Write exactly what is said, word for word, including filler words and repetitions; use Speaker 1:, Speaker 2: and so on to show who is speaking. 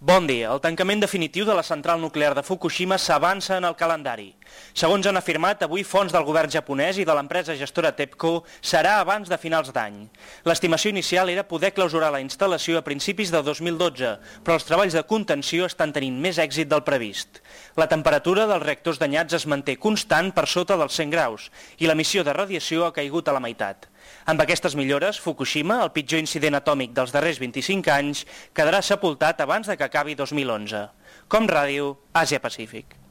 Speaker 1: Bon dia. El tancament definitiu de la central nuclear de Fukushima s'avança en el calendari. Segons han afirmat avui fonts del govern japonès i de l'empresa gestora TEPCO, serà abans de finals d'any. L'estimació inicial era poder clausurar la instal·lació a principis de dos mil dotze, però els treballs de contenció estan tenint més èxit del previst. La temperatura dels reactors danyats es manté constant per sota dels cent graus i l'emissió de radiació ha caigut a la meitat. Amb aquestes millores, Fukushima, el pitjor incident atòmic dels darrers vint-i-cinc anys, quedarà sepultat abans de que acabi dos mil onze. Com Ràdio, Àsia Pacífic.